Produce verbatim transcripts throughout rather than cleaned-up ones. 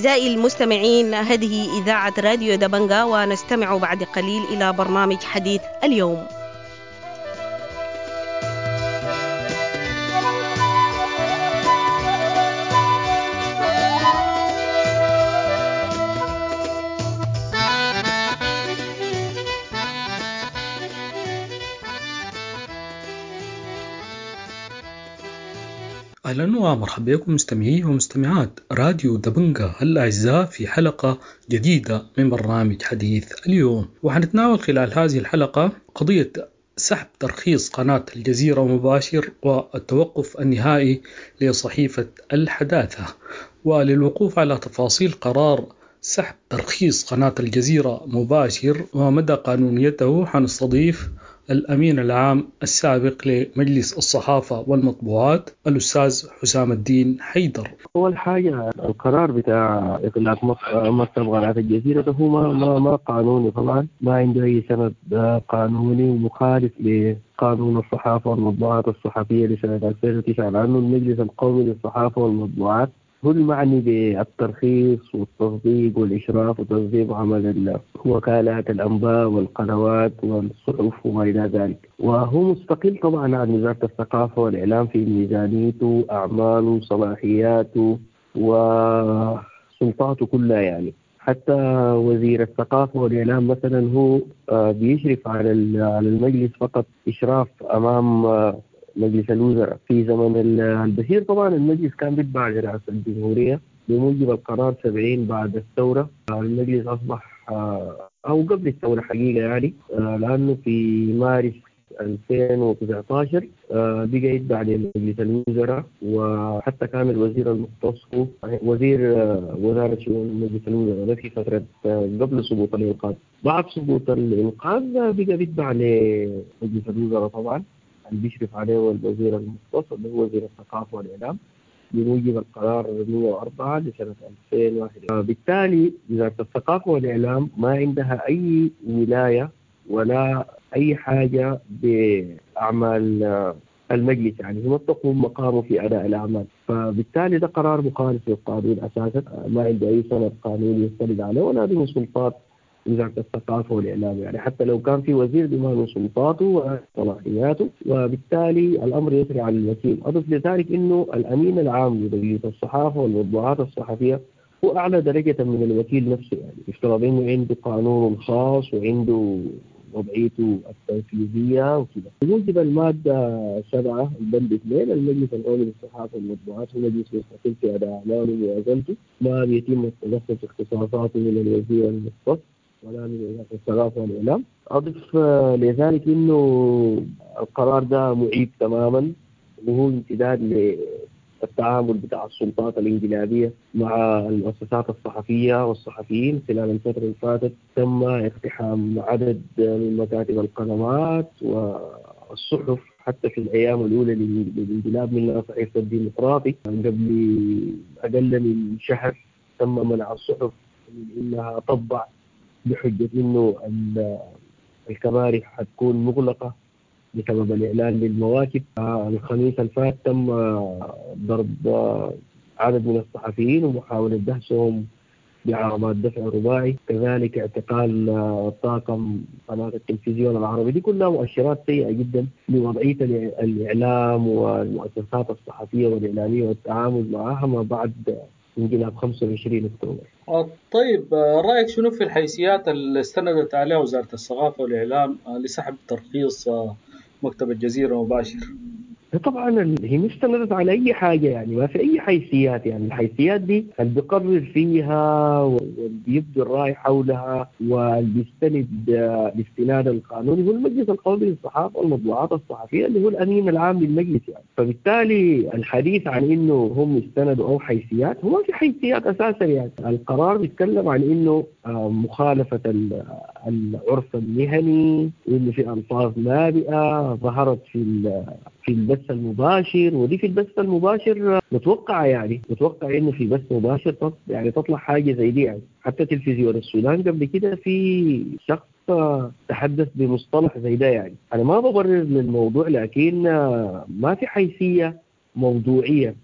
أعزائي المستمعين، هذه إذاعة راديو دبنجا، ونستمع بعد قليل إلى برنامج حديث اليوم. أهلا ومرحبا بكم مستمعي ومستمعات راديو دبنجا الأعزاء في حلقة جديدة من برنامج حديث اليوم، وحنتناول خلال هذه الحلقة قضية سحب ترخيص قناة الجزيرة مباشر والتوقف النهائي لصحيفة الحداثة. وللوقوف على تفاصيل قرار سحب ترخيص قناة الجزيرة مباشر ومدى قانونيته حنستضيف الأمين العام السابق لمجلس الصحافة والمطبوعات الأستاذ حسام الدين حيدر. أول حاجة القرار بتاع إغلاق مكتب قناة الجزيرة ده هو ما, ما, ما قانوني طبعا، ما عنده أي سند قانوني ومخالف لقانون الصحافة والمطبوعات الصحفية لسنة ألفين وتسعة، لأنه المجلس القومي للصحافة والمطبوعات هو المعني بالترخيص والتصديق والإشراف وتصديق عمل وكالات الأنباء والقنوات والصحف وما إلى ذلك، وهو مستقل طبعا عن وزارة الثقافة والإعلام في ميزانيته، أعماله، صلاحياته وسلطاته كلها. يعني حتى وزير الثقافة والإعلام مثلا هو بيشرف على المجلس فقط إشراف أمام مجلس الوزراء. في زمن البشير طبعا المجلس كان بيتبع لرئاسة الجمهورية بموجب القرار سبعين بعد الثورة. المجلس أصبح أو قبل الثورة حقيقة يعني، لأنه في مارس ألفين وتسعة عشر بقى يتبع لمجلس الوزراء، وحتى كان الوزير المختص هو وزير وزارة شؤون مجلس الوزراء في فترة قبل سقوط الإنقاذ. بعد سقوط الإنقاذ بقى بيتبع لمجلس الوزراء طبعا اللي بيشرف عليه الوزير المختص اللي هو وزير الثقافة والإعلام بموجب القرار مئة وأربعة لسنة ألفين وواحد. بالتالي وزارة الثقافة والإعلام ما عندها أي ولاية ولا أي حاجة بأعمال المجلس، يعني ما تقوم مقامه في أداء الأعمال، فبالتالي ده قرار مخالف للقانون أساسا، ما عنده أي سند قانوني يستند عليه ولا به سلطات وزارة الثقافة والإعلام، يعني حتى لو كان في وزير بما له سلطاته وصلاحياته، وبالتالي الأمر يسري على الوكيل. أضف لذلك إنه الأمين العام لمجلس الصحافة والمطبوعات الصحفية هو أعلى درجة من الوكيل نفسه، يعني يفترض إنه عنده قانون خاص وعنده وضعيته التنفيذية وكذا. بموجب المادة سبعة البند اثنين المجلس القومي للصحافة والمطبوعات هو مجلس مستقل في أداء أعماله وموازنته، ما بيتم التدخل في اختصاصاته من الوزير المختص ولا من وزارة الثقافة والإعلام. أضف لذلك إنه القرار ده معيب تماما، وهو امتداد للتعامل بتاع السلطات الانقلابية مع المؤسسات الصحفية والصحفيين. خلال الفترة اللي فاتت تم اقتحام عدد من مكاتب القنوات والصحف حتى في الأيام الأولى للانقلاب، منها صحيفة الديمقراطي قبل أقل من شهر تم منع الصحف من إنها تطبع بحجة إنه الكباري حتكون مغلقة بسبب الإعلان للمواكب. الخميس الفات تم ضرب عدد من الصحفيين ومحاولة دهسهم بعربات دفع رباعي، كذلك اعتقال طاقم قناة التلفزيون العربي. دي كلها مؤشرات سيئة جدا لوضعية الإعلام والمؤسسات الصحفية والإعلامية والتعامل معها ما بعد انقلاب خمسة وعشرين أكتوبر. طيب، رأيك شنو في الحيثيات اللي استندت عليها وزارة الثقافة والإعلام لسحب ترخيص مكتب الجزيرة مباشر؟ طبعا هي مش استندت على أي حاجة، يعني ما في أي حيثيات. يعني الحيثيات دي اللي بيقرر فيها واللي بيبدي الرأي حولها واللي بيستند الاستناد القانوني هو المجلس القومي للصحافة والمطبوعات الصحفية اللي هو الأمين العام للمجلس. يعني فبالتالي الحديث عن إنه هم استندوا أو حيثيات، هو ما في حيثيات أساسا. يعني القرار بيتكلم عن إنه مخالفة العرف المهني، وإنه في ألفاظ نابئة ظهرت في في البث المباشر، ودي في البث المباشر متوقعة، يعني متوقع إنه في بث مباشر تط يعني تطلع حاجة زي دي. يعني حتى تلفزيون السودان قبل كده في شخص تحدث بمصطلح زي ده. يعني أنا ما ببرر للموضوع، لكن ما في حيثية موضوعية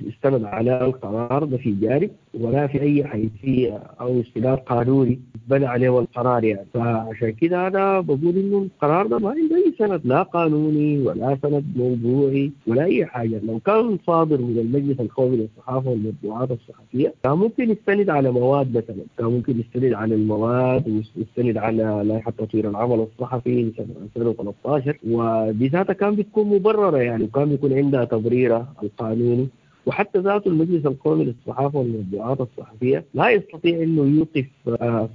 استند على القرار ده في جانب، ولا في أي حيثية أو استناد قانوني بنى عليه القرار يعني. فعشان كده أنا بقول إنه القرار ده ما عنده أي سند، لا قانوني ولا سند موضوعي ولا أي حاجة. لو كان صادر من المجلس القومي للصحافة والمطبوعات الصحفية كان ممكن يستند على مواد مثلا، كان ممكن يستند على المواد ويستند على لائحة تطوير العمل الصحفي لسنة ألفين وثلاثة عشر، ودي ذاتها كان بتكون مبررة يعني، وكان بيكون عندها تبريرها القانوني. وحتى ذاته المجلس القومي للصحافة والمطبوعات الصحفية لا يستطيع أنه يوقف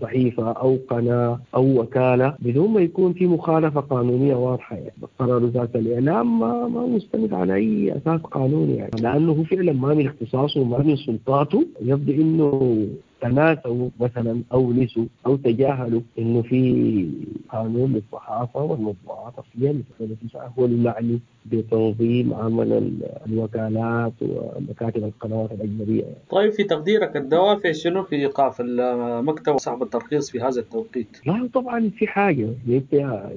صحيفة أو قناة أو وكالة بدون ما يكون في مخالفة قانونية واضحة يعني. قرار وزارة الإعلام ما, ما مستند على أي أساس قانوني يعني، لأنه هو فعلا ما من اختصاصه وما من سلطاته. يبدو أنه تناسوا مثلا أو نسوا أو تجاهلوا إنه في قانون للصحافة والمطبوعات الصحفية اللي هو المعني بتنظيم عمل الوكالات ومكاتب القنوات الأجنبية يعني. طيب في تقديرك الدوافع شنو في إيقاف المكتب وسحب الترخيص في هذا التوقيت؟ لا طبعا في حاجة،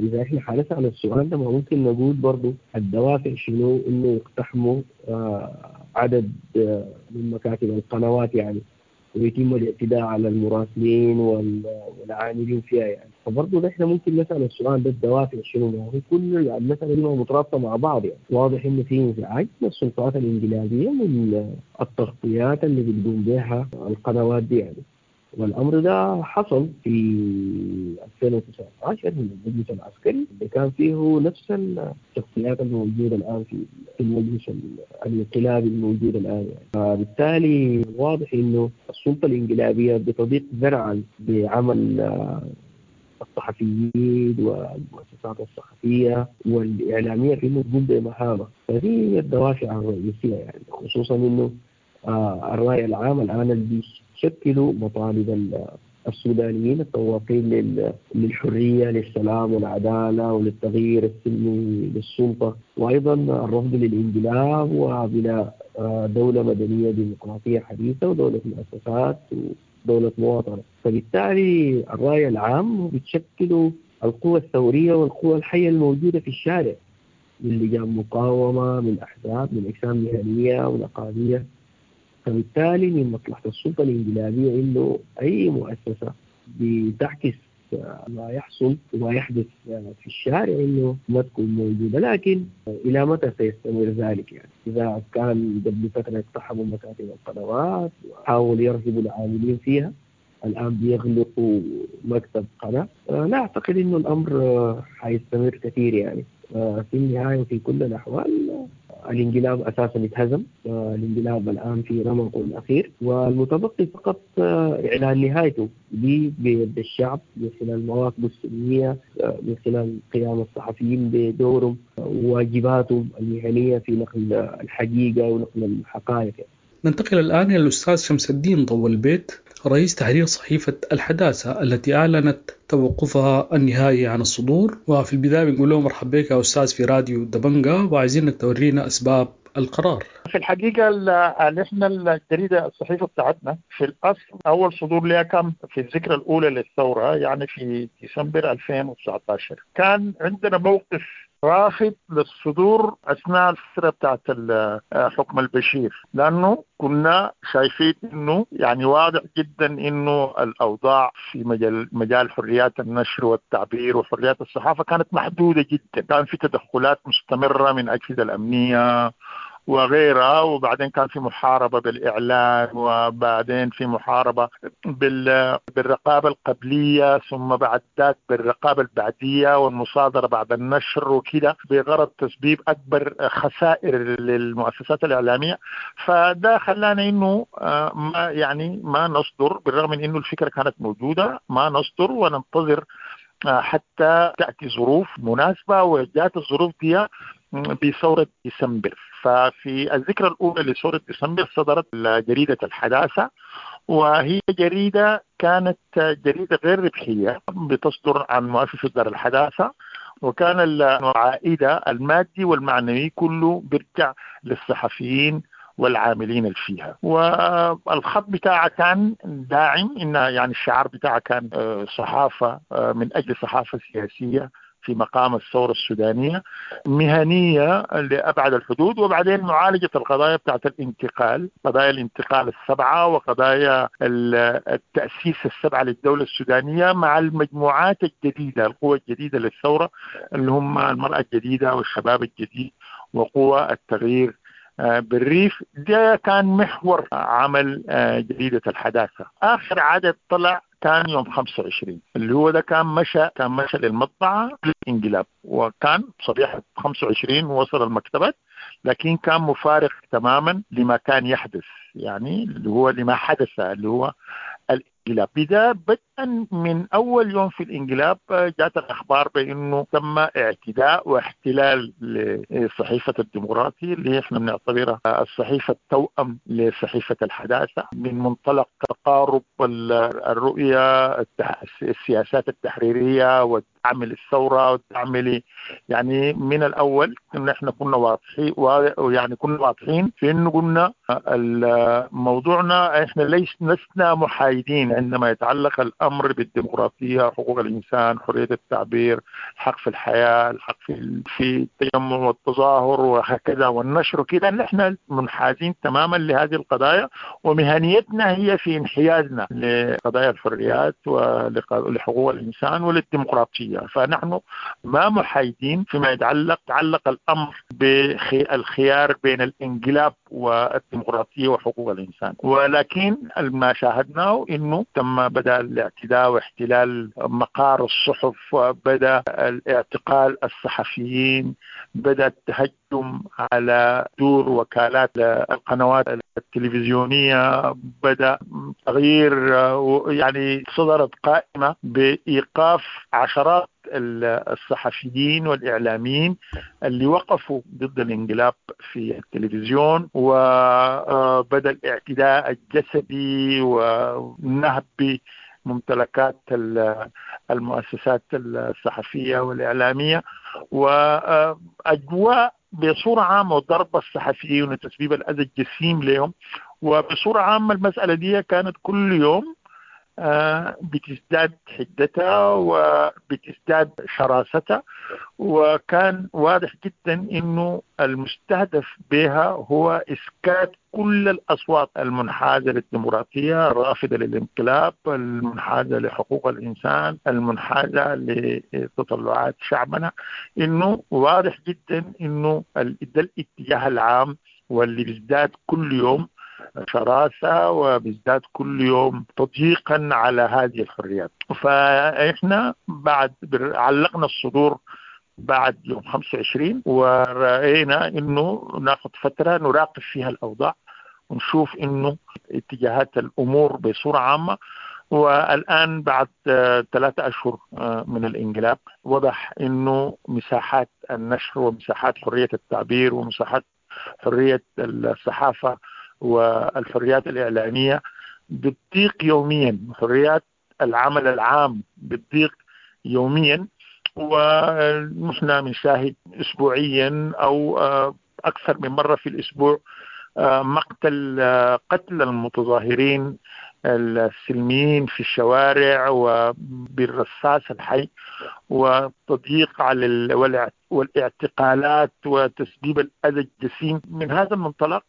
إذا إحنا حنسأل السؤال ده ما ممكن نقول برضو الدوافع شنو إنه يقتحموا عدد من مكاتب القنوات يعني، ويتم الاعتداء على المراسلين والعاملين فيها يعني. فبرضه نحن ممكن نسأل السؤال ده الدوافع شنو، ما هو كل المسألة دي مترابطة مع بعض يعني. واضح إنه في انزعاج من السلطات الانقلابية من التغطيات اللي بتقوم بها القنوات دي يعني. والأمر ده حصل في ألفين وتسعة عشر من المجلس العسكري اللي كان فيه نفس الشخصيات الموجودة الآن في المجلس الانقلابي الموجود الآن يعني. فبالتالي واضح إنه السلطة الانقلابية بتضيق ذرعا بعمل الصحفيين والمؤسسات الصحفية والإعلامية في إنه تقوم بمهامة. فهذه الدوافع الرئيسية يعني، خصوصا إنه الرأي العام الآن اللي بيشكلوا مطالب السودانيين التواقين للحرية للسلام والعدالة وللتغيير السلمي للسلطة، وأيضا الرفض للانقلاب وبناء دولة مدنية ديمقراطية حديثة ودولة مؤسسات ودولة مواطنة. فبالتالي الرأي العام بتشكلوا القوى الثورية والقوى الحية الموجودة في الشارع من لجان مقاومة، من أحزاب، من أجسام مهنية ونقابية. فبالتالي من مصلحة السلطة الانقلابية إنه أي مؤسسة بتعكس ما يحصل وما يحدث في الشارع إنه ما تكون موجودة. لكن إلى متى سيستمر ذلك يعني؟ إذا كان قبل فترة اقتحموا مكاتب القنوات وحاولوا يرهبوا العاملين فيها، الآن بيغلقوا مكتب قناة. لا أعتقد إنه الأمر حيستمر كثير يعني. في النهاية وفي كل الأحوال الانقلاب أساساً اتهزم، الانقلاب الآن في رمقه الأخير، والمتبقي فقط إعلان نهايته بيد الشعب من خلال مواقفه السلمية، من خلال قيام الصحفيين بدورهم وواجباتهم المهنية في نقل الحقيقة ونقل الحقائق. ننتقل الآن إلى الأستاذ شمس الدين ضو البيت، رئيس تحرير صحيفة الحداثة التي أعلنت توقفها النهائي عن الصدور. وفي البداية بنقول له مرحبا بك يا أستاذ في راديو دبنجة، وعايزينك تورينا أسباب القرار. في الحقيقة نحن الجريدة الصحيفة بتاعتنا في الأصل أول صدور لها كان في الذكرى الأولى للثورة، يعني في ديسمبر ألفين وتسعة عشر. كان عندنا موقف رافض للصدور أثناء الفترة بتاعت حكم البشير، لأنه كنا شايفين إنه يعني واضح جدا إنه الأوضاع في مجال مجال حريات النشر والتعبير وحريات الصحافة كانت محدودة جدا. كان في تدخلات مستمرة من أجهزة الأمنية وغيرها، وبعدين كان في محاربة بالإعلان، وبعدين في محاربة بالرقابة القبلية، ثم بعد ذلك بالرقابة البعدية والمصادرة بعد النشر وكده، بغرض تسبيب أكبر خسائر للمؤسسات الإعلامية. فده خلانا إنه ما يعني ما نصدر، بالرغم من إنه الفكرة كانت موجودة، ما نصدر وننتظر حتى تأتي ظروف مناسبة، وجاءت الظروف دي بثورة ديسمبر. ففي الذكرى الأولى لثورة ديسمبر صدرت جريدة الحداثة، وهي جريدة كانت جريدة غير ربحية بتصدر عن مؤسسة دار الحداثة، وكان العائد المادي والمعنوي كله بيرجع للصحفيين والعاملين اللي فيها. والخط بتاعها كان داعم، إن يعني الشعار بتاعها كان صحافة من أجل صحافة سياسية في مقام الثورة السودانية، مهنية لأبعد الحدود. وبعدين معالجة القضايا بتاعت الانتقال، قضايا الانتقال السبعة وقضايا التأسيس السبعة للدولة السودانية مع المجموعات الجديدة، القوى الجديدة للثورة اللي هم المرأة الجديدة والشباب الجديد وقوى التغيير بالريف. ده كان محور عمل جريدة الحداثة. آخر عدد طلع كان يوم خمسة وعشرين، اللي هو ده كان مشى كان مشى للمطبعة للانقلاب، وكان صبيحة خمسة وعشرين وصل المكتبات، لكن كان مفارق تماما لما كان يحدث، يعني اللي هو لما حدث اللي هو الانقلاب. بدا بدءا من أول يوم في الانقلاب جاءت الأخبار بأنه تم اعتداء واحتلال لصحيفة الديمقراطي اللي احنا بنعتبرها الصحيفة التوأم لصحيفة الحداثة، من منطلق تقارب الرؤية، السياسات التحريرية والدعم للثورة والدعم، يعني من الأول إن احنا كنا واضحين، يعني كنا واضحين في إنه قلنا موضوعنا احنا ليس لسنا محايدين عندما يتعلق الأمر بالديمقراطية، حقوق الإنسان، حرية التعبير، الحق في الحياة، الحق في في التجمع والتظاهر وهكذا والنشر وكذا. نحن منحازين تماما لهذه القضايا، ومهنيتنا هي في انحيازنا لقضايا الحريات ولحقوق الإنسان وللديمقراطية. فنحن ما محايدين فيما يتعلق تعلق الأمر بالخيار بين الانقلاب والديمقراطية وحقوق الإنسان. ولكن ما شاهدناه إنه تم بدأ الاعتداء واحتلال مقار الصحف، بدأ الاعتقال الصحفيين، بدأ التهجم على دور وكالات القنوات التلفزيونية، بدأ تغيير، يعني صدرت قائمة بإيقاف عشرات الصحفيين والإعلاميين اللي وقفوا ضد الانقلاب في التلفزيون، وبدأ الاعتداء الجسدي ونهب ممتلكات المؤسسات الصحفية والإعلامية، وأجواء بصورة عامة وضرب الصحفيين وتسبيب الأذى الجسيم لهم. وبصورة عامة المسألة دي كانت كل يوم بتزداد حدتها وبتزداد شراستها، وكان واضح جدا انه المستهدف بها هو اسكات كل الاصوات المنحازه للديمقراطيه، الرافضه للانقلاب، المنحازه لحقوق الانسان، المنحازه لتطلعات شعبنا. انه واضح جدا انه ده الاتجاه العام واللي بيزداد كل يوم شراسة وبيزداد كل يوم تضييقا على هذه الحريات. فإحنا بعد علقنا الصدور بعد يوم خمسة وعشرين، ورأينا إنه ناخذ فترة نراقب فيها الأوضاع ونشوف إنه اتجاهات الأمور بصورة عامة. والآن بعد ثلاثة أشهر من الانقلاب وضح إنه مساحات النشر ومساحات حرية التعبير ومساحات حرية الصحافة والحريات الإعلامية بتضيق يوميا، حريات العمل العام بتضيق يوميا، ونحن بنشاهد أسبوعيا أو أكثر من مرة في الأسبوع مقتل قتل المتظاهرين السلميين في الشوارع وبالرصاص الحي، وتضييق على والاعتقالات وتسبيب الأذى الجسيم. من هذا المنطلق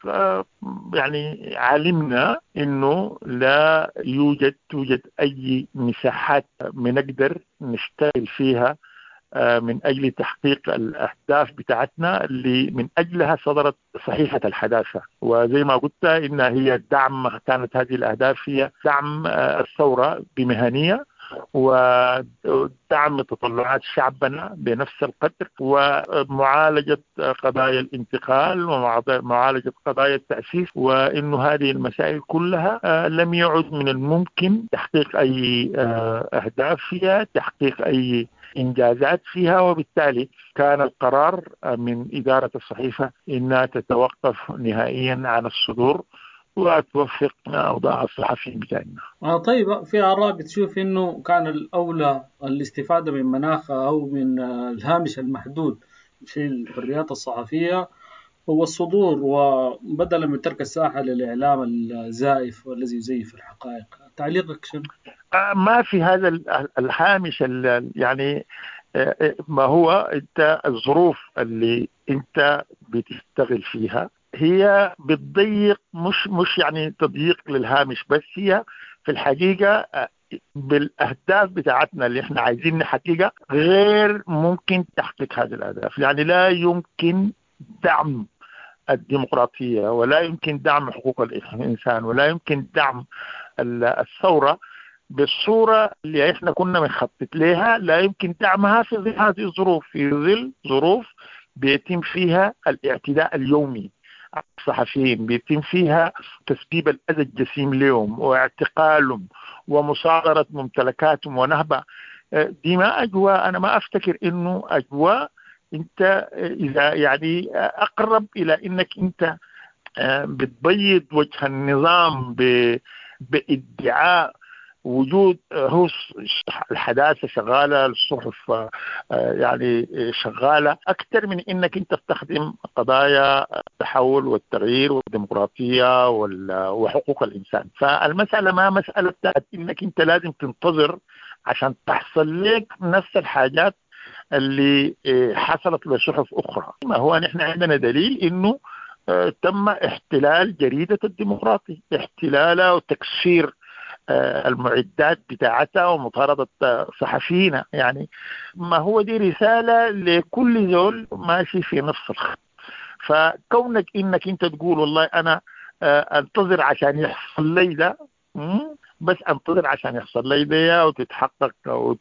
يعني علمنا أنه لا يوجد توجد أي مساحات بنقدر نشتغل فيها من أجل تحقيق الأهداف بتاعتنا اللي من أجلها صدرت صحيفة الحداثة. وزي ما قلت إن هي دعم، كانت هذه الأهداف هي دعم الثورة بمهنية ودعم تطلعات شعبنا بنفس القدر، ومعالجة قضايا الانتقال ومعالجة قضايا التأسيس، وإنه هذه المسائل كلها لم يعد من الممكن تحقيق أي أهداف فيها، تحقيق أي إنجازات فيها. وبالتالي كان القرار من إدارة الصحيفة إنها تتوقف نهائيا عن الصدور وتوفق أوضاع الصحفيين بتاعنا. آه طيب، في آراء بتشوف إنه كان الأولى الاستفادة من مناخ أو من الهامش المحدود في الحريات الصحفية هو الصدور، وبدلا من ترك الساحة للإعلام الزائف والذي يزيف الحقائق. تعليقك شنو؟ ما في هذا الهامش، يعني ما هو انت الظروف اللي انت بتشتغل فيها هي بتضيق، مش مش يعني تضييق للهامش، بس هي في الحقيقة بالاهداف بتاعتنا اللي احنا عايزين نحققها غير ممكن تحقيق هذه الاهداف. يعني لا يمكن دعم الديمقراطية، ولا يمكن دعم حقوق الانسان، ولا يمكن دعم الثورة بالصورة اللي احنا كنا بنخطط لها، لا يمكن دعمها في ظل هذه الظروف، في ظل ظروف بيتم فيها الاعتداء اليومي على الصحفيين، بيتم فيها تسبيب الأذى الجسيم لهم واعتقالهم ومصادرة ممتلكاتهم ونهبها. دي ما أجواء، أنا ما أفتكر إنه أجواء أنت إذا يعني أقرب إلى إنك أنت بتبيض وجه النظام بادعاء وجود هو الحداثة شغالة، الصحف يعني شغالة، أكثر من إنك أنت تستخدم قضايا التحول والتغيير والديمقراطية وحقوق الإنسان. فالمسألة ما مسألة بتاعت إنك أنت لازم تنتظر عشان تحصل لك نفس الحاجات اللي حصلت لصحف أخرى. ما هو نحن عندنا دليل إنه تم احتلال جريدة الديمقراطي، احتلالها وتكسير المعدات بتاعتها ومطاردة صحفيين. يعني ما هو دي رسالة لكل زول ماشي في نفس الخط. فكونك انك انت تقول والله انا انتظر عشان يحصل لي ده، بس انتظر عشان يحصل لي ده وتتحقق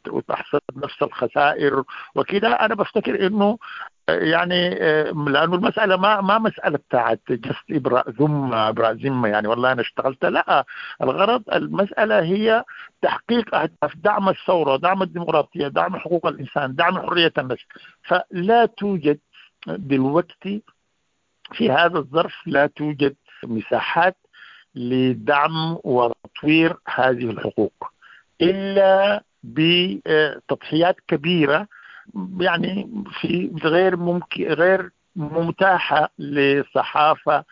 وتحصل نفس الخسائر وكده، انا بفتكر انه يعني لانه المسالة ما ما مسالة بتاعت جست ابراء ذمه ابراء ذمه، يعني والله انا اشتغلت، لا، الغرض المسالة هي تحقيق اهداف دعم الثورة، دعم الديمقراطية، دعم حقوق الانسان، دعم حرية النشر. فلا توجد دلوقتي في هذا الظرف لا توجد مساحات لدعم وتطوير هذه الحقوق الا بتضحيات كبيرة، يعني في غير ممكن غير متاحة لصحافة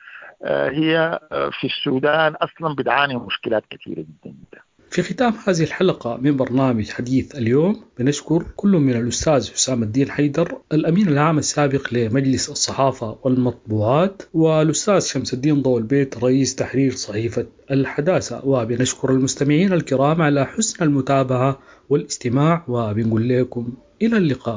هي في السودان أصلا بتعاني مشكلات كثيرة جدا جدا. في ختام هذه الحلقة من برنامج حديث اليوم بنشكر كل من الأستاذ حسام الدين حيدر الأمين العام السابق لمجلس الصحافة والمطبوعات، والأستاذ شمس الدين ضوء البيت رئيس تحرير صحيفة الحداثة، وبنشكر المستمعين الكرام على حسن المتابعة والاستماع، وبنقول لكم إلى اللقاء.